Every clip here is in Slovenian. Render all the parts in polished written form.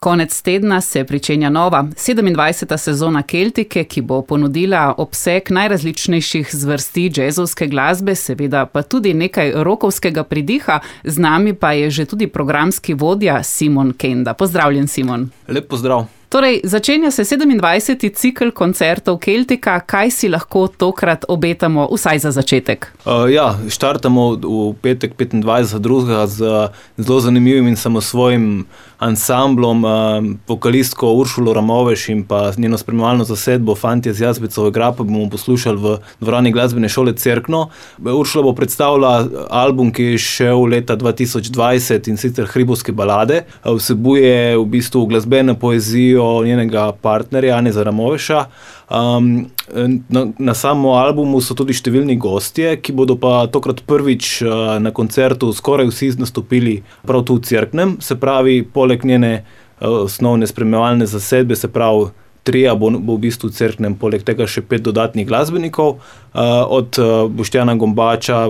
Konec tedna se pričenja nova 27. sezona Keltike, ki bo ponudila obseg najrazličnejših zvrsti džezovske glasbe, seveda pa tudi nekaj rokovskega pridiha. Z nami pa je že tudi programski vodja Simon Kenda. Pozdravljen, Simon. Lep pozdrav. Torej, začenja se 27. cikel koncertov Keltika. Kaj si lahko tokrat obetamo, vsaj za začetek? Štartamo v petek 25.2. z zelo zanimivim in samosvojim ansamblom, vokalistko Uršulo Ramoveš in pa njeno spremljevalno zasedbo Fantje z Jazbecove grape bomo poslušali v dvorani glasbene šole Cerkno. Uršula bo predstavila album, ki je šel leta 2020 in sicer Hribovske balade. Vsebuje v bistvu glasbeno poezijo njenega partnerja Janeza Ramoveša. Na samem albumu so tudi številni gostje, ki bodo pa tokrat prvič na koncertu skoraj vsi nastopili prav tu v Cerknem. Se pravi, poleg njene osnovne spremljevalne zasedbe, se pravi trija bo v bistvu v Cerknem, poleg tega še 5 dodatnih glasbenikov, od Boštjana Gombača,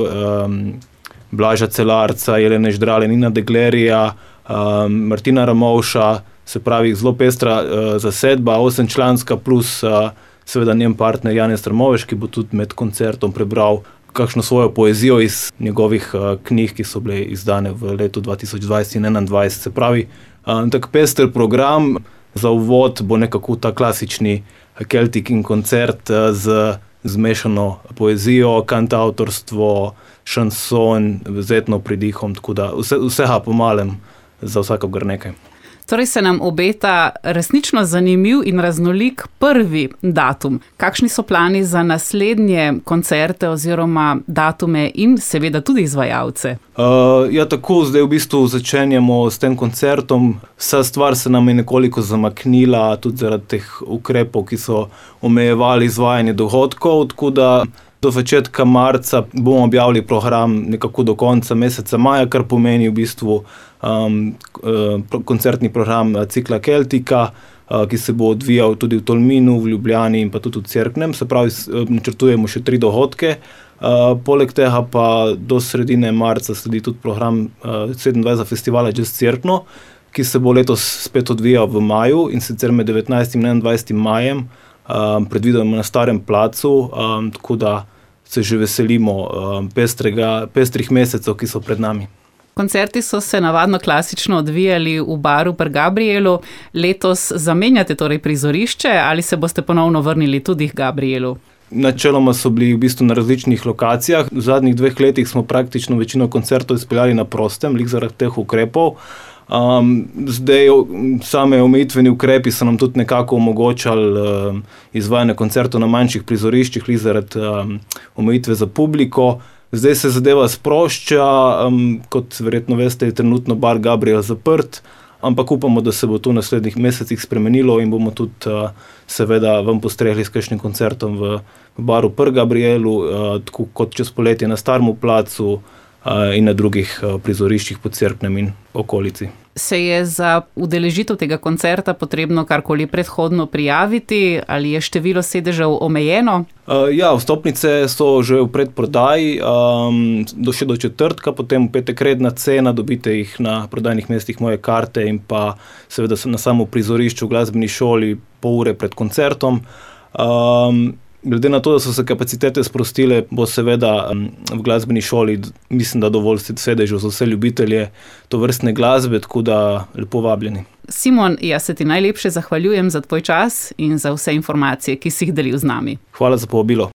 Blaža Celarca, Jelene Ždrale, Nina Deglerija, Martina Ramovša. Se pravi, zelo pestra zasedba, 8-članska plus seveda njen partner Janez Ramoveš, ki bo tudi med koncertom prebral kakšno svojo poezijo iz njegovih knjig, ki so bile izdane v letu 2020 in 2021. Se pravi, tak pester program. Za uvod bo nekako ta klasični Keltikin koncert z zmešano poezijo, kantavtorstvo, šanson, z etno pridihom, tako da vsega po malem, za vsakogar nekaj. Torej se nam obeta resnično zanimiv in raznolik prvi datum. Kakšni so plani za naslednje koncerte oziroma datume in seveda tudi izvajalce? Tako, zdaj v bistvu začenjamo s tem koncertom. Vsa stvar se nam je nekoliko zamaknila, tudi zaradi teh ukrepov, ki so omejevali izvajanje dogodkov, tako da do začetka marca bomo objavili program nekako do konca meseca maja, kar pomeni v bistvu koncertni program cikla Keltika, ki se bo odvijal tudi v Tolminu, v Ljubljani in pa tudi v Cerknem. Se pravi, načrtujemo še 3 dogodke. Poleg tega pa do sredine marca sledi tudi program 27. festivala Jazz Cerkno, ki se bo letos spet odvijal v maju, in sicer med 19. in 21. majem, predvidoma na Starem placu, tako da se že veselimo pestrih mesecev, ki so pred nami. Koncerti so se navadno klasično odvijali v baru Pri Gabrielu. Letos zamenjate torej prizorišče ali se boste ponovno vrnili tudi k Gabrielu? Načeloma so bili v bistvu na različnih lokacijah. V zadnjih 2 letih smo praktično večino koncertov izpeljali na prostem, zaradi teh ukrepov. Zdaj same omejitveni ukrepi so nam tudi nekako omogočali izvajanje koncertov na manjših prizoriščih, zaradi omejitve za publiko. Zdaj se zadeva sprošča, kot verjetno veste, je trenutno bar Gabriel zaprt, ampak upamo, da se bo to v naslednjih mesecih spremenilo in bomo tudi seveda vam postregli s kakšnim koncertom v baru Pri Gabrielu, tako kot čez poletje na Starem placu in na drugih prizoriščih po Cerknem in okolici. Se je za udeležitev tega koncerta potrebno karkoli predhodno prijaviti ali je število sedežev omejeno? Vstopnice so že v predprodaji, še do četrtka, potem v petek redna cena, dobite jih na prodajnih mestih Moje karte in pa seveda na samo prizorišču v glasbeni šoli pol ure pred koncertom. Glede na to, da so se kapacitete sprostile, bo seveda v glasbeni šoli, mislim, da dovolj sedežev za vse ljubitelje tovrstne glasbe, tako da lepo vabljeni. Simon, jaz se ti najlepše zahvaljujem za tvoj čas in za vse informacije, ki si jih delil z nami. Hvala za povabilo.